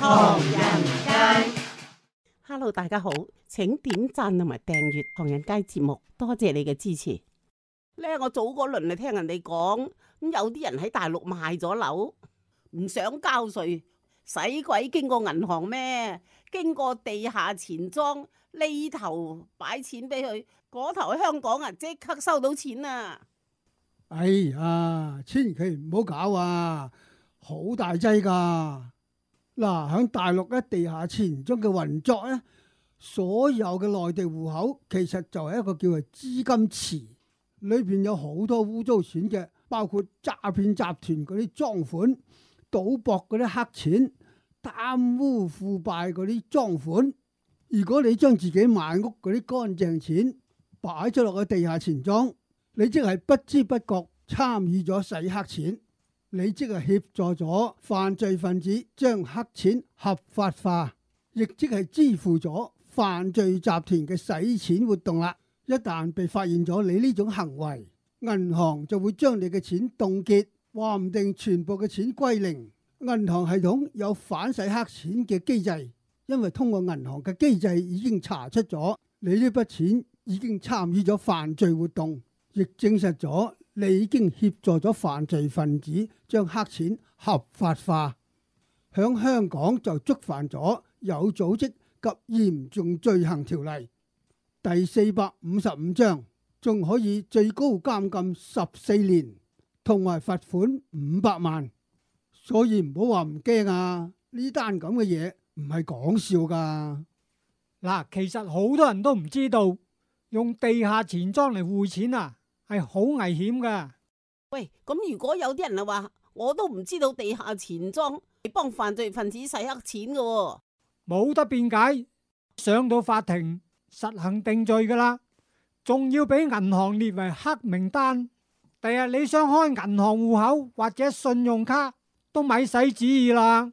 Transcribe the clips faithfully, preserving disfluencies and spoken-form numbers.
唐人街。Hello， 大家好，請點讚同埋訂閱唐人街節目，多謝你嘅支持。咧，我早嗰輪嚟聽人哋講，咁有啲人喺大陸賣咗樓，唔想交稅，使鬼經過銀行咩？經過地下錢莊呢頭擺錢俾佢，嗰頭喺香港啊，即刻收到錢啊！哎呀，千祈唔好搞啊，好大劑噶。嗱，喺大陸咧地下錢莊嘅運作咧，所有嘅內地戶口其實就係一個叫做資金池，裏邊有好多污糟錢嘅，包括詐騙集團嗰啲贓款、賭博嗰啲黑錢、貪污腐敗嗰啲贓款。如果你將自己買屋嗰啲乾淨錢擺咗落個地下錢莊，你即係不知不覺參與咗洗黑錢，你即係協助咗犯罪分子將黑錢合法化，亦即係支付咗犯罪集團嘅洗錢活動啦。一旦被發現咗你呢種行為，銀行就會將你嘅錢凍結，話唔定全部嘅錢歸零。銀行系統有反洗黑錢嘅機制，因為通過銀行嘅機制已經查出咗你呢筆錢已經參與咗犯罪活動，亦證實咗你已經協助咗犯罪分子將黑錢合法化。響香港就觸犯咗有組織及嚴重罪行條例第四百五十五章，仲可以最高監禁十四年，同埋罰款五百萬。所以唔好話唔驚啊！呢單咁嘅嘢唔係講笑噶。嗱，其實好多人都唔知道用地下錢莊嚟匯錢啊，係好危險噶。喂，咁如果有啲人啊話，我都唔知道地下錢莊係幫犯罪分子洗黑錢噶喎，冇得辯解，上到法庭實行定罪噶啦，仲要俾銀行列為黑名單。第日你想開銀行戶口或者信用卡都咪使旨意啦，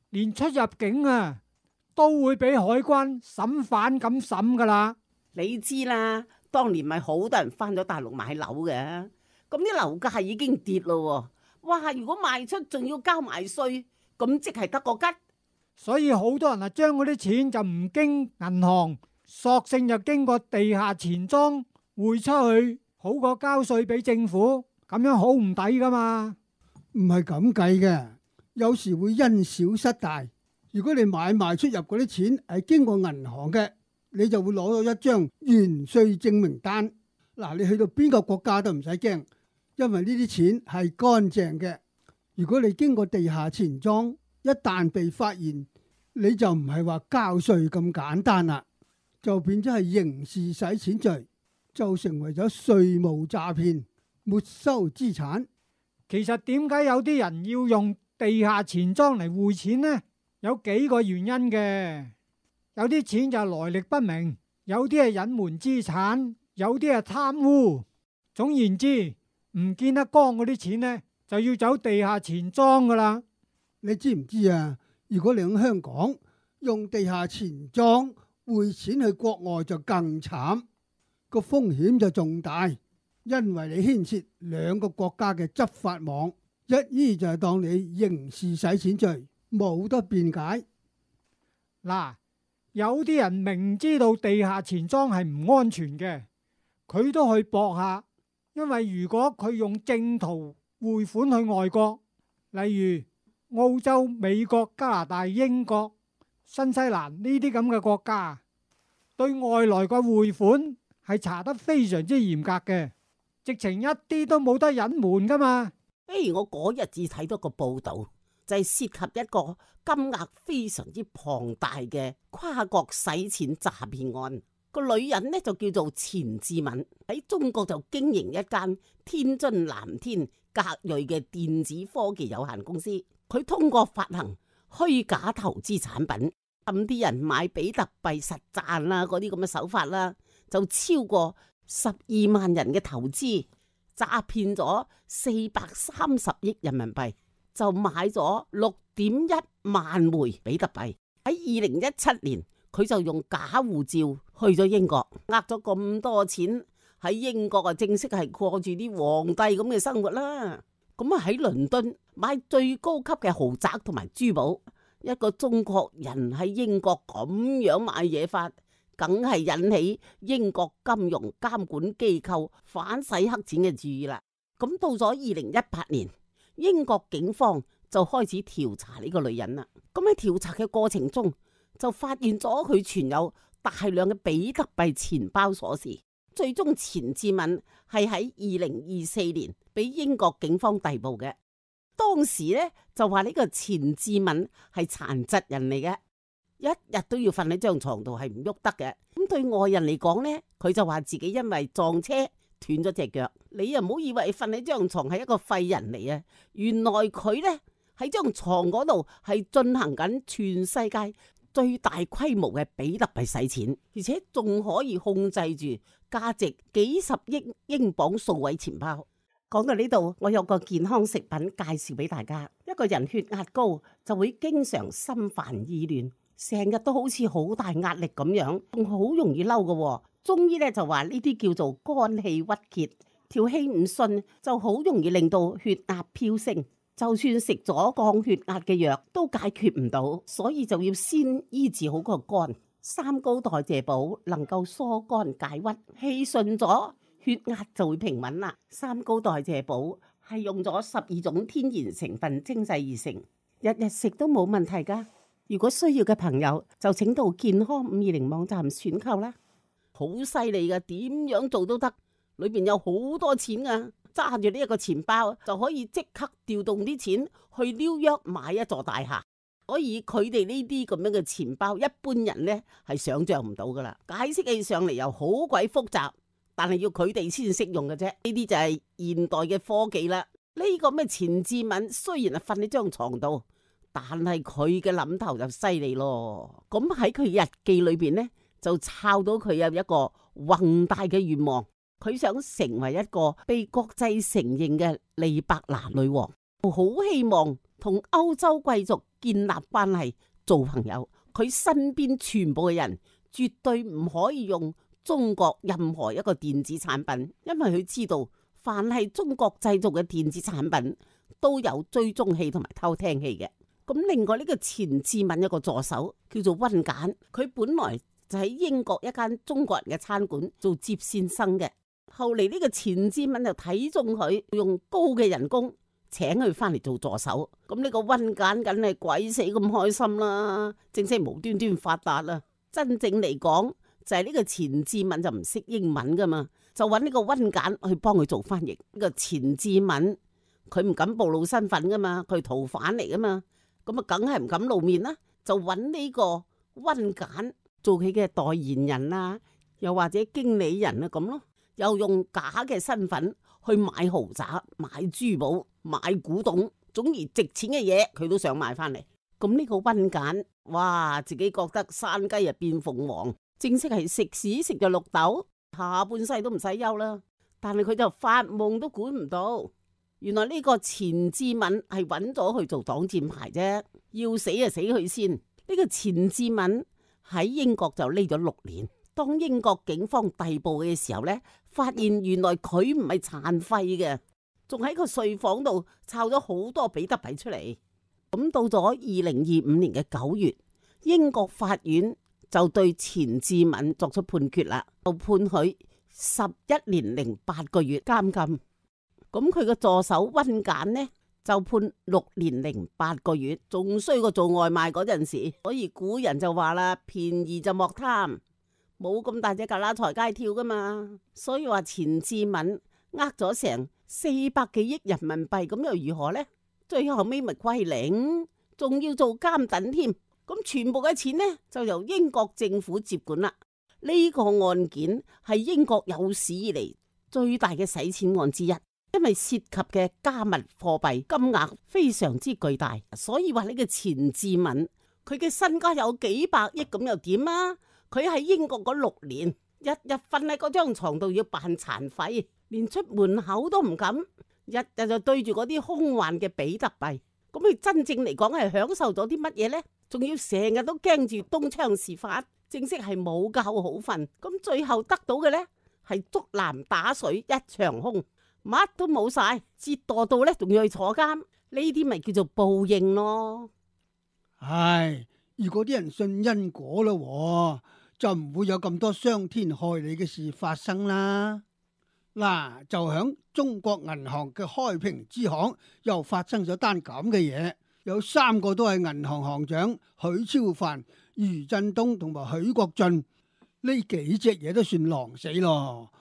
連出入境啊都會俾海關審犯咁審噶啦。你知啦，當年咪好多人翻咗大陸買樓嘅，咁啲樓價已經跌咯，哇！如果賣出仲要交埋稅，咁即係得個吉。所以好多人啊，將嗰啲錢就唔經銀行，索性就經過地下錢莊匯出去，好過交稅俾政府，咁樣好唔抵噶嘛。唔係咁計嘅，有時會因小失大。如果你買賣出入嗰啲錢係經過銀行嘅，你就會攞到一張完稅證明單。嗱，你去到邊個國家都唔使驚，因為呢啲錢係乾淨嘅。如果你經過地下錢莊，一旦被發現，你就唔係話交稅咁簡單啦，就變咗係刑事洗錢罪，就成為咗稅務詐騙，沒收資產。其實點解有啲人要用地下錢莊嚟匯錢呢？有幾個原因嘅。有啲錢就係來歷不明，有啲係隱瞞資產，有啲係貪污。總言之，唔見得光嗰啲錢呢，就要走地下錢莊噶啦。你知唔知啊？如果你喺香港用地下錢莊匯錢去國外就更慘，個風險就重大，因為你牽涉兩個國家嘅執法網，一於就係當你刑事洗錢罪，冇得辯解。嗱，有啲人明知道地下錢莊係唔安全嘅，佢都去搏下，因為如果佢用正途匯款去外國，例如澳洲、美國、加拿大、英國、新西蘭呢啲咁嘅國家，對外來嘅匯款係查得非常之嚴格嘅，直情一啲都冇得隱瞞噶嘛。誒，我嗰日至睇到個報道，就係涉及一個金額非常之龐大嘅跨國洗錢詐騙案。個女人呢就叫做錢志敏，喺中國就經營一間天津藍天格瑞嘅電子科技有限公司。佢通過發行虛假投資產品，氹啲人買比特幣實賺啦，嗰啲咁嘅手法啦，就超過十二萬人嘅投資，詐騙咗四百三十億人民幣，就買咗六點一萬枚比特幣。喺二零一七年，佢就用假護照去咗英國，呃咗咁多錢，喺英國啊正式係過住啲皇帝咁嘅生活啦。咁啊喺倫敦買最高級嘅豪宅同埋珠寶，一個中國人喺英國咁樣買嘢法，梗係引起英國金融監管機構反洗黑錢嘅注意啦。咁到咗二零一八年，英國警方就開始調查呢個女人啦。咁喺調查嘅過程中，就發現咗佢存有大量嘅比特幣錢包鎖匙。最終錢志敏係喺二零二四年俾英國警方逮捕嘅。當時咧就話呢個錢志敏係殘疾人嚟嘅，一日都要瞓喺張床度係唔喐得嘅。咁對外人嚟講呢，佢就話自己因為撞車斷咗隻腳。你又唔好以為瞓喺張床係一個廢人嚟啊！原來佢呢喺張床嗰度係進行緊全世界最大規模嘅比特幣洗錢，而且仲可以控制住價值幾十億英鎊數位錢包。講到呢度，我有個健康食品介紹俾大家。一個人血壓高就會經常心煩意亂，成日都好似好大壓力咁樣，仲好容易嬲嘅。中醫咧就話呢啲叫做肝氣鬱結，條氣唔順就好容易令到血壓飆升。就算食咗降血壓嘅藥都解決唔到，所以就要先醫治好個肝。三高代謝寶能夠疏肝解鬱，氣順咗，血壓就會平穩啦。三高代謝寶係用咗十二種天然成分精製而成，日日食都冇問題噶。如果需要嘅朋友就請到健康五二零網站選購啦。好犀利噶，點樣做都得，裏邊有好多錢噶。揸住呢一個錢包就可以即刻調動啲錢去紐約買一座大廈，所以佢哋呢啲咁樣嘅錢包，一般人呢係想象唔到噶啦。解釋起上嚟又好鬼複雜，但係要佢哋先識用嘅啫。呢啲就係現代嘅科技啦。呢、這個咩錢志敏雖然係瞓喺張床度，但係佢嘅諗頭就犀利咯。咁喺佢日記裏邊呢，就抄到佢有一個宏大嘅願望。佢想成為一個被國際承認嘅利伯拿女王，好希望同歐洲貴族建立關係做朋友。佢身邊全部嘅人絕對唔可以用中國任何一個電子產品，因為佢知道凡係中國製造嘅電子產品都有追蹤器同埋偷聽器嘅。咁另外呢個錢志敏一個助手叫做溫簡，佢本來就喺英國一間中國人嘅餐館做接線生嘅。後嚟呢個錢志敏就睇中佢，用高嘅人工請佢翻嚟做助手。咁呢個溫簡梗係鬼死咁開心啦，正式無端端發達啦。真正嚟講就係呢個錢志敏就唔識英文噶嘛，就揾呢個溫簡去幫佢做翻譯。呢個錢志敏佢唔敢暴露身份噶嘛，佢係逃犯嚟噶嘛，咁啊梗係唔敢露面啦，就揾呢個溫簡做佢嘅代言人啊，又或者經理人啊咁咯。又用假嘅身份去買豪宅、買珠寶、買古董，總而值錢嘅嘢佢都想買翻嚟。咁呢個溫簡，哇，自己覺得山雞啊變鳳凰，正式係食屎食咗綠豆，下半世都唔使憂啦。但係佢就發夢都估唔到，原來呢個錢志敏係揾咗去做擋箭牌啫，要死就死佢先。呢、這個錢志敏喺英國就匿咗六年。當英國警方逮捕嘅時候呢，發現原來佢唔係殘廢嘅，仲喺個睡房度抄咗好多比特幣出嚟。咁到咗二零二五年嘅九月，英國法院就對錢志敏作出判決啦，就判佢十一年零八個月監禁。咁佢個助手溫簡呢就判六年零八個月，仲衰過做外賣嗰陣時。所以古人就話啦，便宜就莫貪。冇咁大隻蛤乸隨街跳噶嘛，所以話錢志敏呃咗成四百幾億人民幣，咁又如何呢？最後尾咪歸零，仲要做監躉添。咁全部嘅錢呢就由英國政府接管啦。呢個案件係英國有史以嚟最大嘅洗錢案之一，因為涉及嘅加密貨幣金額非常之巨大，所以話呢個錢志敏佢嘅身家有幾百億，咁又點啊？佢喺英國嗰六年，日日瞓喺嗰張床度要扮殘廢，連出門口都唔敢，日日就對住嗰啲空幻嘅比特幣。咁佢真正嚟講係享受咗啲乜嘢呢？仲要成日都驚住東窗事發，正式係冇覺好瞓。咁最後得到嘅呢，係竹籃打水一場空，乜都冇晒，折墮到呢仲要去坐監。呢啲咪叫做報應咯。唉，如果啲人信因果咯，就唔會有咁多傷天害理嘅事發生啦。嗱，就響中國銀行嘅開平支行又發生咗單咁嘅嘢，有三個都係銀行行長許超凡、余振東同埋許國俊，呢幾隻嘢都算狼死咯。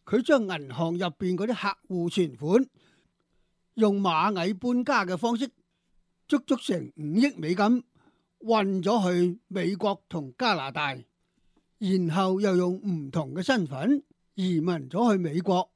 佢將銀行入邊嗰啲客戶存款用螞蟻搬家嘅方式，足足成五億美金運咗去美國同加拿大，然後又用唔同嘅身份移民咗去美國。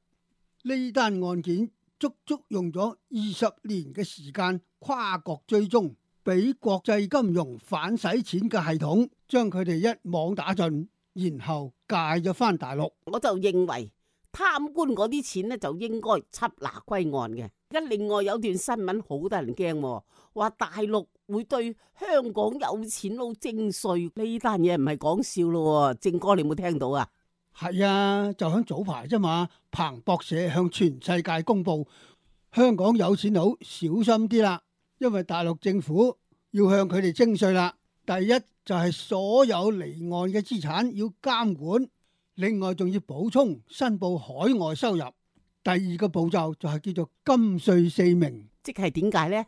呢單案件足足用咗二十年嘅時間跨國追蹤，俾國際金融反洗錢嘅系統將佢哋一網打盡，然後介咗翻大陸。我就認為貪官嗰啲錢呢，就應該緝拿歸案嘅。而家另外有段新聞好得人驚，話大陸會對香港有錢佬徵稅，呢單嘢唔係講笑咯。正哥你有冇聽到啊？係啊，就響早排啫嘛。彭博社向全世界公布，香港有錢佬小心啲啦，因為大陸政府要向佢哋徵稅啦。第一就係所有離岸嘅資產要監管，另外仲要補充申報海外收入。第二個步驟就係叫做金稅四明，即係點解呢？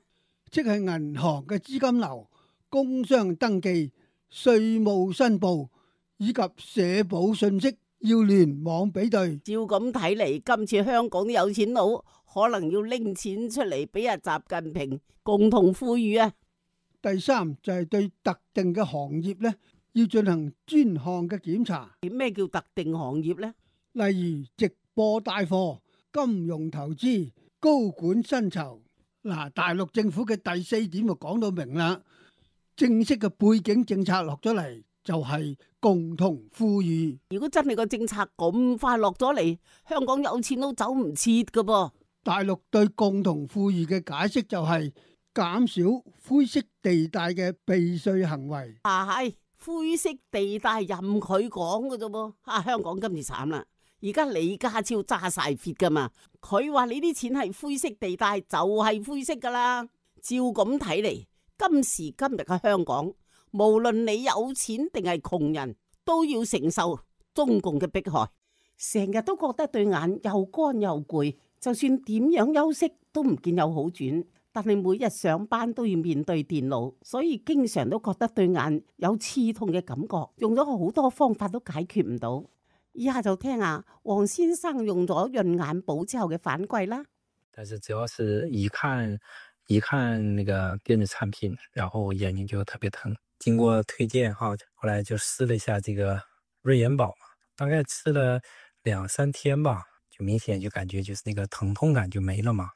即係銀行嘅資金流、工商登記、稅務申報以及社保信息要聯網比對。照咁睇嚟，今次香港啲有錢佬可能要拎錢出嚟俾阿習近平共同富裕啊！第三就係對特定嘅行業咧，要進行專項嘅檢查。咩叫特定行業呢？例如直播帶貨、金融投資、高管薪酬。嗱，大陸政府嘅第四點就講到明啦，正式嘅背景政策落咗嚟，就係共同富裕。如果真係個政策咁快落咗嚟，香港有錢佬走唔切噶噃。大陸對共同富裕嘅解釋就係減少灰色地帶嘅避稅行為。啊係灰色地帶任佢講噶啫噃。啊，香港今次慘啦，而家李家超揸晒撇噶嘛，佢話你啲錢係灰色地帶就係灰色噶啦。照咁睇嚟，今時今日嘅香港，無論你有錢定係窮人，都要承受中共嘅迫害。成日都覺得對眼又乾又攰，就算點樣休息都唔見有好轉。但係每日上班都要面對電腦，所以經常都覺得對眼有刺痛嘅感覺，用咗好多方法都解決唔到。以下就聽下黃先生用咗潤眼寶之後嘅反饋啦。但是主要是一看一看那個電子產品，然後眼睛就特別疼。經過推薦哈，後來就試了一下這個潤眼寶嘛，大概吃了兩三天吧，就明顯就感覺就是那個疼痛感就沒了嘛。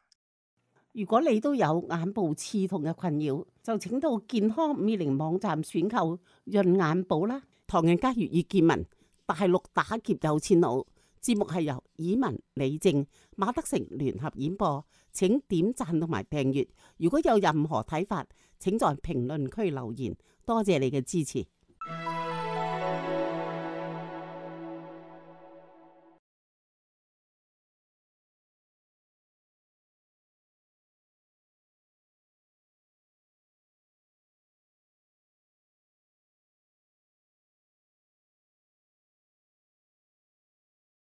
如果你都有眼部刺痛嘅困擾，就請到健康五二零網站選購潤眼寶啦。唐人街粵語見聞，大陸打劫有錢佬，節目係由以文、李正、馬德成聯合演播，請點讚同埋訂閱。如果有任何睇法，請在評論區留言。多謝你嘅支持。